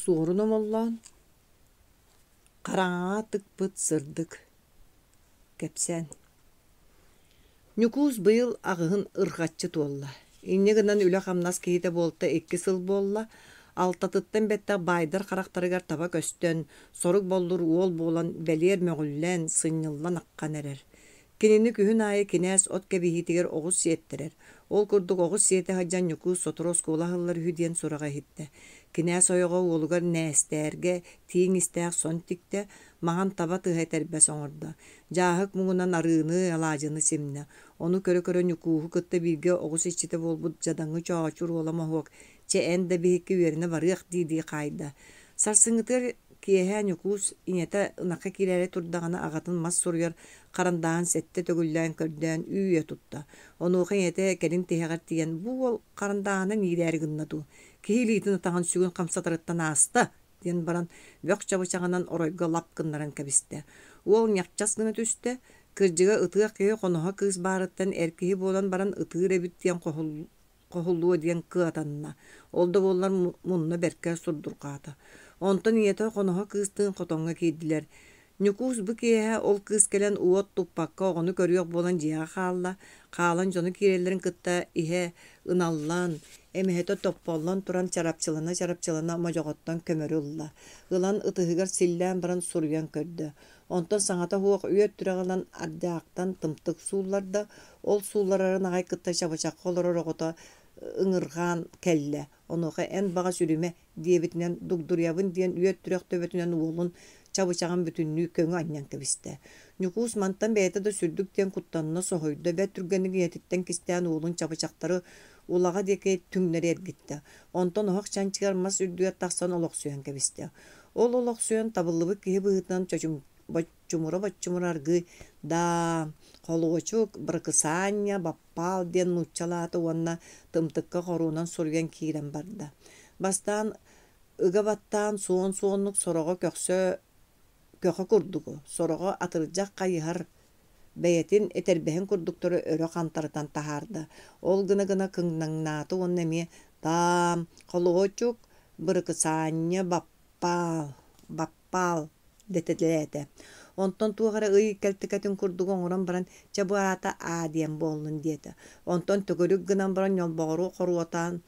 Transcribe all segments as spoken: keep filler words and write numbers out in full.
Суорун Омоллоон Хараҥаҕа тыкпыт сырдык кэпсээн Ньукуус быйыл аҕыһын ырҕаччы туолла. Инньэ гынан үлэ-хамнас киһитэ буолта икки сыл буолла. Алтатыттан бэттэх баайдар харахтарыгар таба көстөн, сорук-боллур уол буолан, бэлиэр мөҕүллэн, сынньыллан аххан эрэр. Кинини күһүн аайы кинээс от кэбиһиитигэр оҕус сиэттэрэр. Ол курдук оҕус сиэтэ сылдьан Ньукуус сотору оскуола аһыллар үһү диэн сураҕы иһиттэ. Кинээс ойоҕо уолугар Нээстээргэ тииҥ истээх сон тиктэ, маҥан таба тыһа этэрбэс оҥордо. Дьааһык муҥунан арыыны, алаадьыны симнэ. Ону көрө-көрө Ньукууһу кытта бииргэ оҕус иччитэ буолбут дьадаҥы Чоочур уола Моһуок, «Чэ, эн да биһикки үөрэнэ барыах» дии-дии хаайда. Сарсыҥҥытыгар киэһэ Ньукуус ийэтэ ынахха киирээри турдаҕына аҕатын мас суруйар харандааһын сэттэ төгүллээн көрдөөн үүйэ тутта. Онуоха ийэтэ кэлин тиһэҕэр тиийэн, «Бу уол харандааһынан иирээри гынна дуу, киһи илиитин-атаҕын сүгүн хамсатарыттан ааста» диэн баран бөх чабычаҕынан оройго лап гыннаран кэбистэ. Уол ньахчас гына түстэ, кырдьыга ытыах киһи хоноһо кыыс баарыттан эр киһи буолан баран ытыыр эбит диэн хоһуллуо диэн кыатанна. Ол да буоллар мунна бэркэ сурдурҕаата. Онтон ийэтэ хоноһо кыыстыын хотоҥҥо киирдилэр. Ньукуус бу киэһэ ол кыыс кэлэн уот туппакка оҕону көрүөх буолан дьиэҕэ хаалла. Хаалан дьону киирэллэрин кытта иһэ ыналлан, эмэһэтэ топполлон туран чарапчылана-чарапчылана модьоҕоттон көмөрү ылла. Ылан ытыһыгар силлээн баран суруйан көрдө. Онтон саҥата суох үөт түрэҕи ылан ардьаахтан тымтык суулларда. Ол суулларарын аҕай кытта чабычахха олорор оҕото ыҥырҕаан кэллэ. Онуоха эн баҕас үрүмэ диэбитинэн дугдуруйабын диэн үөт түрэх төбөтүнэн уолун чабычаҕын бүтүннүү көҥү анньан кэбистэ. Ньукуус мантан бэйэтэ да сүрдүк диэн куттанна, соһуйда, бэрт түргэнник ийэтиттэн кистээн уолун чабычахтары улаҕа диэки түҥнэри эргиттэ. Онтон оһох чанчыгар мас үрдүгэр тахсан олохсуйан кэбистэ. Ол олохсуйан табыллыбыт киһи быһыытынан чочум боччумура-боччумура аргыый «Даа, холуочук, быракысаанньа, баппаал» диэн нууччалаата уонна тымтыкка хоруунан суруйан киирэн барда. Бастаан ыга баттаан суон суоннук сороҕо көхсө көхө курдугу, сороҕо атырдьах хайыһар бэйэтин этэрбэһин курдуктары өрө хантарытан таһаарда. Ол гына-гына кыҥнаҥнаата уонна эмиэ «Таам, холуочук, быракысаанньа, баппаал, баппаал» дэтэлээтэ. Онтон туох эрэ ый кэлтикэтин курдук оҥорон баран, чэ бу аата Аа диэн буоллун диэтэ. Онтон төгүрүк гынан баран ньолбоҕору хоруотаан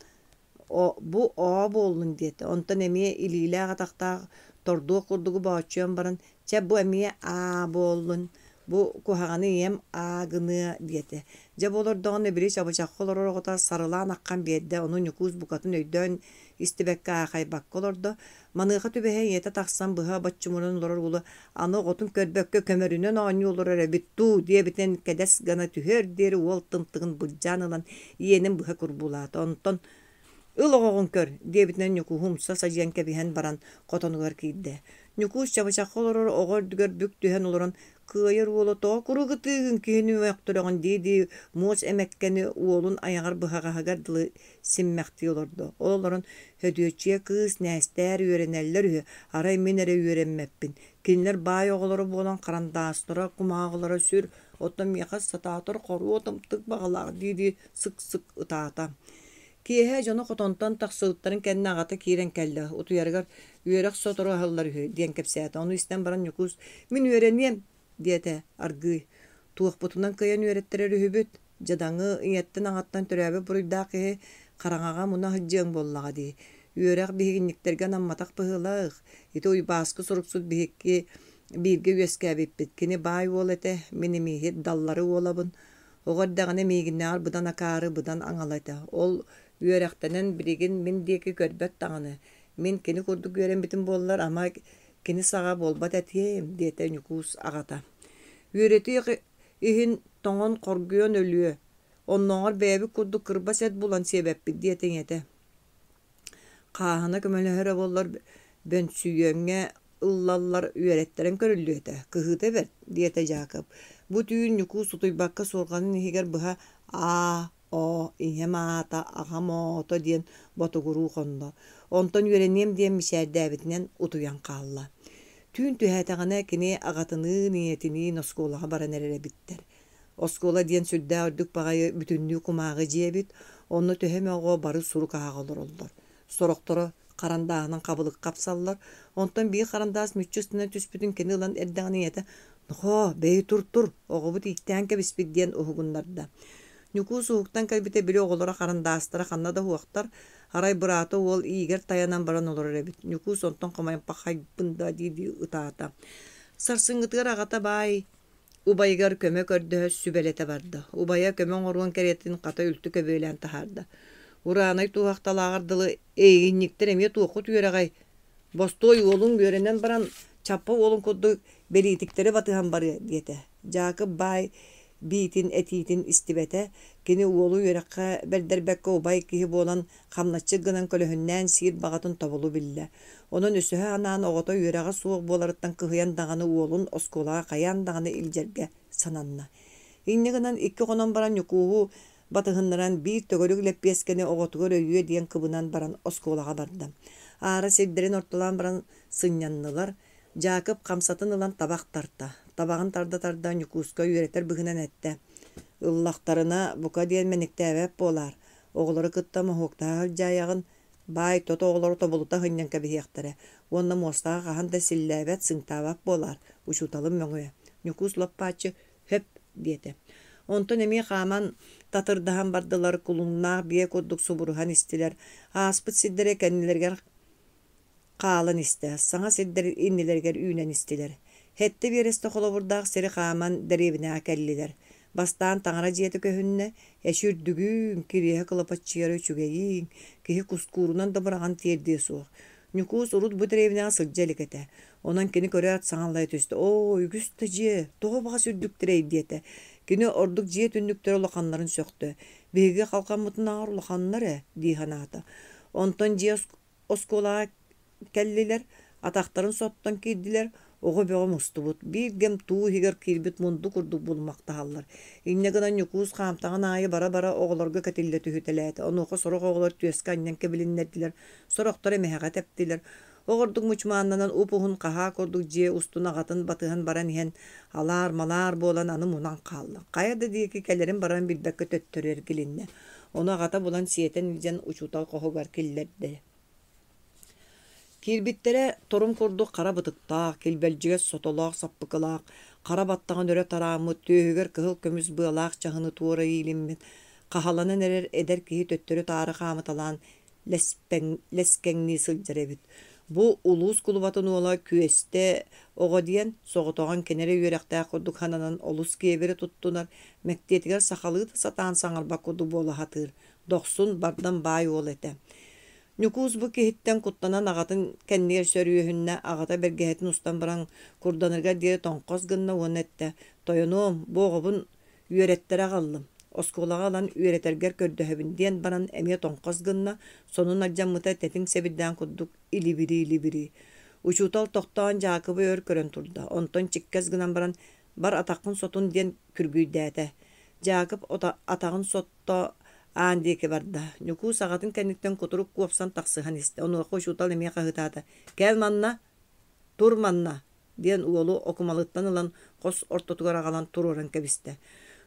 О, бу оо буоллун диэтэ. Онтон эмиэ илиилээх-атахтаах тордуох курдугу бооччуйан баран, чэ бу эмиэ аа буоллун, бу куһаҕаны ийэм аа гыныа диэтэ. Дьэ бу олордоҕуна били чабычахха олорор оҕото сарылаан аххан биэрдэ, ону Ньукуус букатын өйдөөн истибэккэ аахайбакка олордо. Маныаха түбэһэ ийэтэ тахсан быһа боччумуран олорор уолу аны оҕотун көрбөккө көмөрүнэн оонньуу олорор эбит дуу диэбитинэн кэдэс гына түһүөр диэри уол тымтыгын былдьаан ылан иэнин быһа курбуулаата. Онтон «Ыл оҕоҕун көр» диэбитинэн Ньукууһу умса садьыйан кэбиһэн баран хотонугар киирдэ. Ньукуус чабычахха олорор оҕо үрдүгэр бүк түһэн олорон «Кыайар уола тоҕо куруук ытыыгын киһини мөхтөрөҕүн» дии-дии муос эмэккэни уолун айаҕар быһаҕаһыгар дылы симмэхтии олордо. Ол олорон «Һөдүөччүйэ кыыс Нээстээр үөрэнэллэр үһү, арай мин эрэ үөрэммэппин. Кинилэр баай оҕолоро буолан харандаастара, кумааҕылара сүр, оттон миэхэ сатаатар хоруо тымтык баҕалаах» дии-дии сык-сык ытаата. Киэһэ дьоно хотонтон тахсыбыттарын кэннэ аҕата киирэн кэллэ, утуйарыгар «Үөрэх сотору аһыллар үһү» диэн кэпсээтэ. Ону истэн баран Ньукуус «Мин үөрэниэм» диэтэ аргыый. «Туохпутунан кыайан үөрэттэрэр үһүбүт, дьадаҥы, ийэттэн-аҕаттан төрөөбүт буруйдаах киһи хараҥаҕа муна сылдьыаҥ буоллаҕа дии. Үөрэх биһигинньиктэргэ анамматах быһыылаах. Ити Уйбааскы суруксут биһикки бииргэ үөскээбиппит. Кини баай уол этэ, мин эмииһит Даллары уолабын. Оҕо эрдэҕинэ миигиннээҕэр быдан акаары, быдан аҥала этэ. Ол үөрэхтэнэн билигин мин диэки көрбөт даҕаны. Мин кини курдук үөрэммитим буоллар, ама кини саҕа буолбат этиэм, диэтэ Ньукуус аҕата. Үөрэтиэх иһин тоҥон хоргуйан өлүө, оннооҕор бэйэбит курдук кырбас эт булан сиэбэппит диэтэ ийэтэ. Хааһына көмөлөһөрө буоллар бөнсүйүөҥҥэ ыллаллар үөрэттэрэн көрүллүө этэ, кыһыыта бэрт, диэтэ Дьаакып. Бу түүн Ньукуус утуйбакка суорҕанын иһигэр быһа «Аа, оо, ийэм аата, аҕам оото» диэн ботугуруу хонно. Онтон үөрэниэм диэн мичээрдээбитинэн утуйан хаалла. Түүн түһээтэҕинэ кини аҕатыныын, ийэтиниин оскуолаҕа баран эрэр эбиттэр. Оскуола диэн сүрдээх үрдүк баҕайы бүтүннүү кумааҕы дьиэ эбит, онно төһө эмэ оҕо бары сурук ааҕа олороллор. Сорохторо Харандааһынан хабылык хапсаллар. Онтон биир харандаас мүччү ыстанан түспүтүн кини ылан эрдэҕинэ ийэтэ «Нохоо, бэйи тур-тур, оҕобут ииктээн кэбиспит» диэн уһугуннарда. Ньукуус уһуктан кэлбитэ били оҕолоро харандаастара ханна да суохтар, арай быраата уол иигэр тайанан баран олорор эбит. Ньукуус онтон хомойон «Пахайбын да» дии-дии ытаата. Сарсыҥҥытыгар аҕата баай убайыгар көмө көрдөһө сүбэлэтэ барда. Убайа көмө оҥоруон кэриэтин хата үлтү көбүөлээн таһаарда. Ураанай туоһахталааҕар дылы эйигинньиктэр эмиэ туоххут үөрэҕэй? Бостуой уолуҥ үөрэнэн баран Чаппа уолун курдук бэлиитиктэри батыһан барыа диэтэ. Дьаакып баай биитин этиитин истибэтэ, кини уолу үөрэххэ бэрдэрбэккэ убай киһи буолан хамначчыт гынан көлөһүннээн сиир баҕатын тобулу биллэ. Онон өсөһө анаан оҕото үөрэҕэ суох буоларыттан кыһыйан даҕаны уолун оскуолаҕа хайаан даҕаны илдьэргэ сананна. Инньэ гынан икки хонон баран Ньукууһу батыһыннаран биир төгүрүк лэппиэскэни оҕотугар өйүө диэн кыбынан баран оскуолаҕа барда. Аара сирдэрин ортолоон баран сынньаннылар. Дьаакып хамсатын ылан табах тарта. Табаҕын тарда-тарда Ньукууска үөрэтэр быһыынан эттэ: «Ыллахтарына, бука диэн мэниктээбэт буолаар, оҕолору кытта моһуоктаһа сылдьаайаҕын, баай тот оҕолору тобулута сынньан кэбиһиэхтэрэ уонна муостаҕа хаһан да силлээбэт, сыыҥтаабат буолаар, учууталым мөҥүө». Ньукуус лоп-бааччы «Сөп» диэтэ. Онтон эмиэ хааман татырдаһан бардылар, кулуннаах биэ курдук субуруһан истилэр. Ааспыт сирдэрэ кэннилэригэр хаалан истэ, саҥа сирдэр иннилэригэр үүнэн истилэр. Сэттэ биэрэстэ холобурдаах сири хааман дэриэбинэҕэ кэллилэр. Бастаан таҥара дьиэтэ көһүннэ, эчи үрдүгүн, кириэһэ кылапаччыйара үчүгэйиҥ, киһи кускуурунан да быраҕан тиэрдиэ суох. Ньукуус урут бу дэриэбинэҕэ сылдьа илик этэ. Онон кини көрөөт саҥаллайа түстэ: «Оо, үгүс да дьиэ, тоҕо баҕас үрдүктэрэй» диэтэ. Кини ордук дьиэ түннүктэрэ улаханнарын сөхтө. «Биһиги халҕаммытынааҕар улаханнар ээ» дии санаата. Онтон дьиэ оскуолаҕа кэллилэр, атахтарын соттон киирдилэр, оҕо бөҕө мустубут, биир кэм туу иһигэр киирбит мунду курдук булумахтаһаллар. Инньэ гынан Ньукуус хаамтаҕын аайы бара-бара оҕолорго кэтиллэ түһүтэлээтэ. Онуоха сорох оҕолор түөскэ анньан кэбилиннэрдилэр, сорохтор эмэһэҕэ тэптилэр. Оҕордук мучумааннанан уп-уһун хаһаа курдук дьиэ устун аҕатын батыһан баран иһэн алаар-малаар буолан аны мунан хаалла. Хайа да диэки кэлэрин-барарын билбэккэ төттөрү эргилиннэ. Ону аҕата булан сиэтэн илдьэн учуутал хоһугар киллэрдэ. Киирбиттэрэ торум курдук хара бытыктаах, килбэлдьигэс сотолоох саппыкылаах, хара баттаҕын өрө тарааммыт, түөһүгэр кыһыл көмүс быалаах чаһыны туора иилиммит, хаһаланан эрэр эдэр киһи төттөрү-таары хаамыталаан лэспэҥ, лэскэҥнии сылдьар эбит. Бу улуус кулубатын уола Күөстэ оҕо диэн, соҕотоҕун кини эрэ үөрэхтээх курдук сананан олус киэбирэ туттунар, мэктиэтигэр сахалыы да сатаан саҥарбат курдук буола сатыыр, дохсун, бардам баай уол этэ. Ньукуус бу киһиттэн куттанан аҕатын кэннигэр сөрүөһүннэ, аҕата бэргэһэтин устан баран курданарыгар диэри тоҥхос гынна уонна эттэ: «Тойонуом, бу оҕобун үөрэттэрэ аҕаллым, оскуолаҕа ылан үөрэтэргэр көрдөһөбүн» диэн баран эмиэ тоҥхос гынна, сонун алдьаммыта тэтиҥ сэбирдээн курдук илибирии-илибирии. Учуутал тохтоон Дьаакыбы өр көрөн турда, онтон чиккэс гынан баран «Бар атаххын сотун» диэн күргүйдээтэ. Дьаакып атаҕын сотто аан диэки барда. Ньукуус аҕатын кэнниттэн кутурук куопсан тахсыһан истэ. Онуоха учуутал эмиэ хаһыытаата: «Кэл манна, тур манна!» диэн уолу окумалыттан ылан хос ортотугар аҕалан туруоран кэбистэ.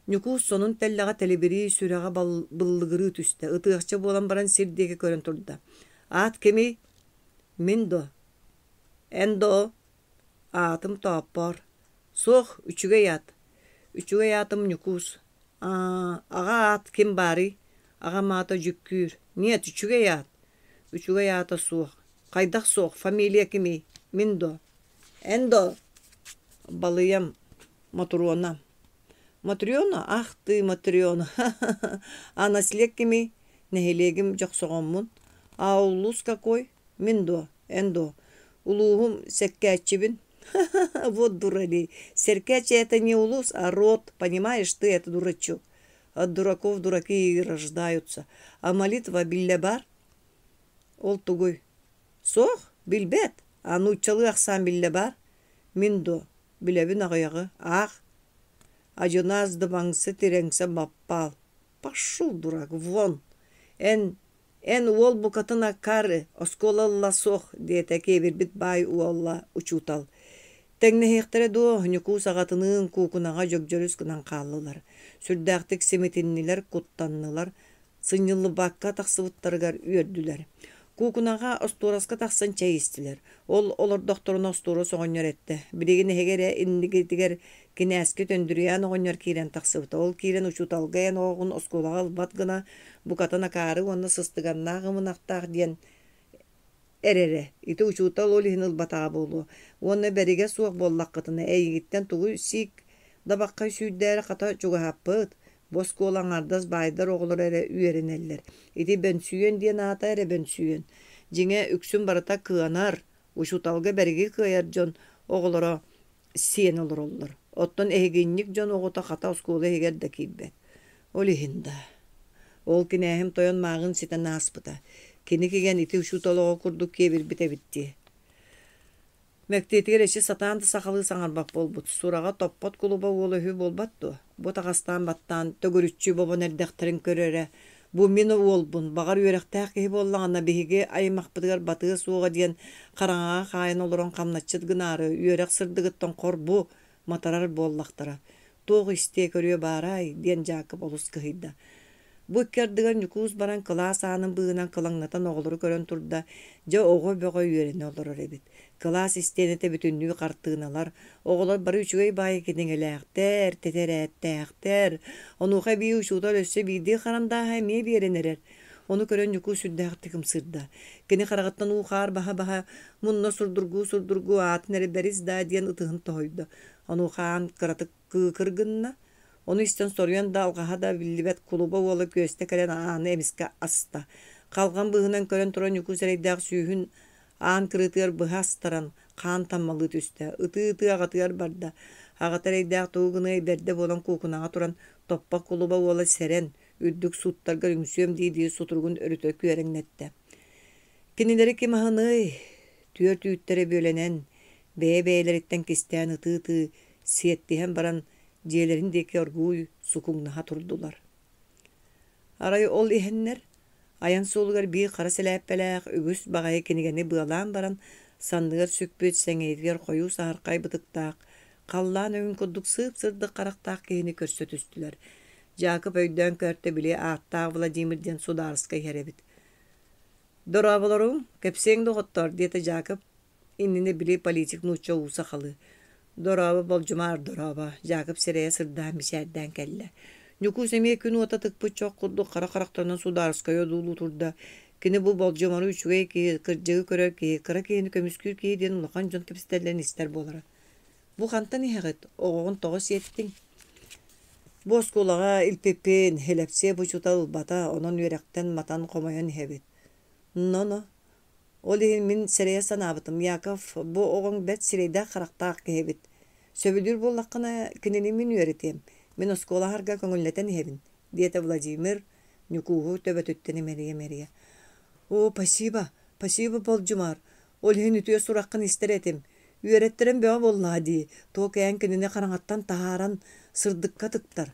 Ньукуус сонун тэллэҕэ тэлибирии, сүрэҕэ быллыгырыы түстэ, ытыахча буолан баран сир диэки көрөн турда. «Аат кимий?» «Мин дуо?» «Эн дуо?» «Аатым Тооппоор». «Суох, үчүгэй аат». «Үчүгэй аатым Ньукуус». «Аа, аҕа аат ким баарый?» «Аҕам аата Дьүккүүр». «Нет, үчүгэй аат». «Үчүгэй аата суох». «Хайдах суох? Фамилия кимий?» «Мин дуо?» «Эн дуо?» «Балыйам Мотуруона». «Матрена? Ах ты, Матрена! А наслег кимий?» «Нэһилиэгим Дьохсоҕоммун». «А улуус какой?» «Мин дуо? Эн дуо?» «Улууһум Сэккээччибин». Вот дуралей. Сэркээччи это не улус, а род. Понимаешь ты это, дурачок? От дураков дураки и рождаются. А молитва биллэ баар? Ол тугуй? Суох, билбэт. А нууччалыы ахсаан биллэ баар? Мин дуо? Билэбин аҕыйаҕы. Аах. Адьынаас дыбаҥса тирэҥсэ баппаал. Пошел, дурак, вон! Эн Эн уол букатын акаары, оскуола ылла суох, диэтэ киэбирбит баай уола учуутал. Тэҥнэһиэхтэрэ дуо, Ньукуус аҕатыныын куукунаҕа дьөгдьөрүс гынан хааллылар. Сүрдээхтик симитиннилэр, куттаннылар, сынньыллыбакка тахсыбыттарыгар үөрдүлэр. Куукунаҕа остуораска тахсан чэй истилэр. Ол олордохторуна остуорас оҕонньор эттэ: «Билигин эһиги эрэ иннигитигэр кинээскит Өндүрүйээн оҕонньор киирэн тахсыбыта. Ол киирэн учууталга эн оҕоҕун оскуолаҕа ылбат гына букатын акаары уонна сыстыганнаах ымынахтаах диэн эрэрэ. Ити учуутал ол иһин ылбатаҕа буолуо. Уонна бэригэ суох буоллаххытына эйигиттэн тугу сиик дабаххай сүүрдээри хата чугаһаппыт. Бу оскуола аҥаардас баайдар оҕолоро эрэ үөрэнэллэр. Ити Бөнсүйүөн диэн аата эрэ Бөнсүйүөн. Дьиҥэ, үксүн барыта кыанар, учууталга бэриги кыайар дьон оҕолоро сиэн олороллор. Оттон эһигинньик дьон оҕото хата оскуола иһигэр да киирбэт. Ол иһин да. Ол кинээһим тойон мааҕын ситэн ааспыта. Кини кигэн ити учуутал оҕо курдук киэбирбит эбит дии. Мэктиэтигэр эчи сатаан да сахалыы саҥарбат буолбут. Сураҕа топпот кулуба уола үһү буолбат дуо? Бу таҕастаан баттаан төгүрүччү бобон эрдэхтэрин көр эрэ. Бу мин уолбун, баҕар үөрэхтээх киһи буоллаҕына, биһиги аймахпытыгар батыа суоҕа диэн хараҥаҕа хаайан олорон хамначчыт гынаары, үөрэх сырдыгыттан хор бу матарар буоллахтара. Туох истиэ-көрүө баарай диэн Дьаакып олус кыһыйда. Бу икки ардыгар Ньукуус баран кылаас аанын быыһынан кылаҥнатан оҕолору көрөн турда, дьэ оҕо бөҕө үөрэнэ олорор эбит. Кылаас истиэнэтэ бүтүннүү хартыыналар, оҕолор бары үчүгэй баайы кинигэлээхтэр, тэтэрээттээхтэр. Онуоха эбии учуутал өссө биирдии харандааһы эмиэ биэрэн эрэр. Ону көрөн Ньукуус сүрдээхтик ымсыырда. Кини хараҕыттан уу-хаар баһа-баһа, мунна сурдургуу-сурдургуу аатын эрэ бэрис даа диэн ытыһын тоһуйда. Онуоха аан кыратык кыыкыр гынна. Ону истэн соруйан да алҕаһа да биллибэт кулуба уола күөстэ кэлэн ааны эмискэ аста. Халҕан быыһынан көрөн туран Ньукуус эрэйдээх сүүһүн аан кырыытыгар быһа астаран, хаан таммалыы түстэ. Ытыы-ытыы аҕатыгар барда. Аҕата эрэйдээх тугу гыныай бэрдэ буолан куукунаҕа туран, топпох кулуба уола сэрэн, үрдүк сууттаргар үҥсүөм дии-дии сутуругун өрүтэ күөрэҥнэттэ. Кинилэри ким аһыныай? Түөрт үүттэрэ бүөлэнэн, бэйэ-бэйэлэриттэн кистээн ытыы-ытыы сиэттиһэн баран дьиэлэрин диэки оргууй сукуҥнаһа турдулар. Арай ол иһэннэр, айан суолугар биир хара сэлээппэлээх үгүс баҕайы кинигэни быалаан баран, санныгар сүкпүт, сэҥийэтигэр хойуу саһархай бытыктаах, халлаан өҥүн курдук сып-сырдык харахтаах киһини көрсө түстүлэр. Дьаакып өйдөөн көртө били ааттаах Владимир диэн судаарыска иһэр эбит. «Дорооболоруҥ, кэпсиэҥ доҕоттоор» диэтэ Дьаакып иннинэ били политик нуучча уу сахалыы. «Дорообо, Болдьумаар, дорообо», Дьаакып сирэйэ сырдаан мичээрдээн кэллэ. Ньукуус эмиэ күн уота тыкпыт чох курдук хара харахтарынан судаарыскайы одуулуу турда. Кини бу Болдьумары үчүгэй киһи, кырдьыгы көрөр киһи, кыра киһини көмүскүүр киһи диэн улахан дьон кэпсэтэллэрин истэр буолара. «Бу хантан иһэҕит? Оҕоҕун тоҕо сиэттиҥ?» «Бу оскуолаҕа илпиппин, Һилэпсиэп учуутал ылбата, онон үөрэхтэн матан хомойон иһэбит». «Но-но, Ол иһин мин сэрэйэ санаабытым, Яков, бу оҕоҥ бэрт сирэйдээх-харахтаах киһи эбит. Сөбүлүүр буоллаххына, кинини мин үөрэтиэм. Мин оскуола аһарга көҥүллэтэн иһэбин, диэтэ Владимир, Ньукууһу төбөтүттэн имэрийэ-имэрийэ. Оо, спасибо, спасибо, Болдьумаар. Ол иһин үтүө сураххын истэр этим. Үөрэттэрэн бөҕө буоллаҕа дии, туох эн кинини хараҥаттан таһааран, сырдыкка тыктар.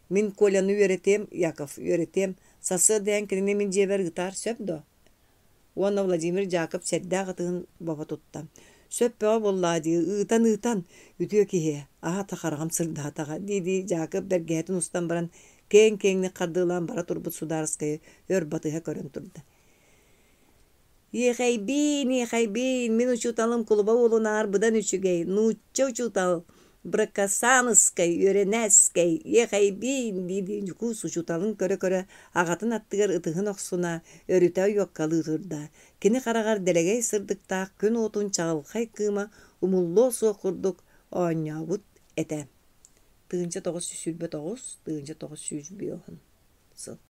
Мин Коляны үөрэтиэм, Яков, үөрэтиэм. Сарсыарда эн кинини мин дьиэбэр ыытаар, сөп дуо? Уонна Владимир Дьаакып сэрдээх ытыһын бобо тутта. Сөп бөҕө буоллаҕа дии, ыытан-ыытан, үтүө киһи, аата хараҕым сырдаатаҕа, дии-дии Дьаакып бэргэһэтин устан баран, киэҥ-киэҥник хардыылаан бара турбут судаарыскайы өр батыһа көрөн турда. Иэхэйбиин, иэхэйбиин, мин учууталым кулуба уолунааҕар быдан үчүгэй, нуучча учуутал, Быракасааныскай, үөрэнээскэй, иэхэйбиин дии-дии Ньукуус учууталын көрө-көрө аҕатын аттыгар ытыһын охсуна, өрүтэ ойуоккалыы турда. Кини хараҕар дэлэгэй сырдыктаах күн уотун чаҕылхай кыыма умуллуо суох курдук оонньообут этэ. Тыһыынча тоҕус сүүс сүүрбэ тоҕус, тыһыынча тоҕус сүүс биэс уон сыл.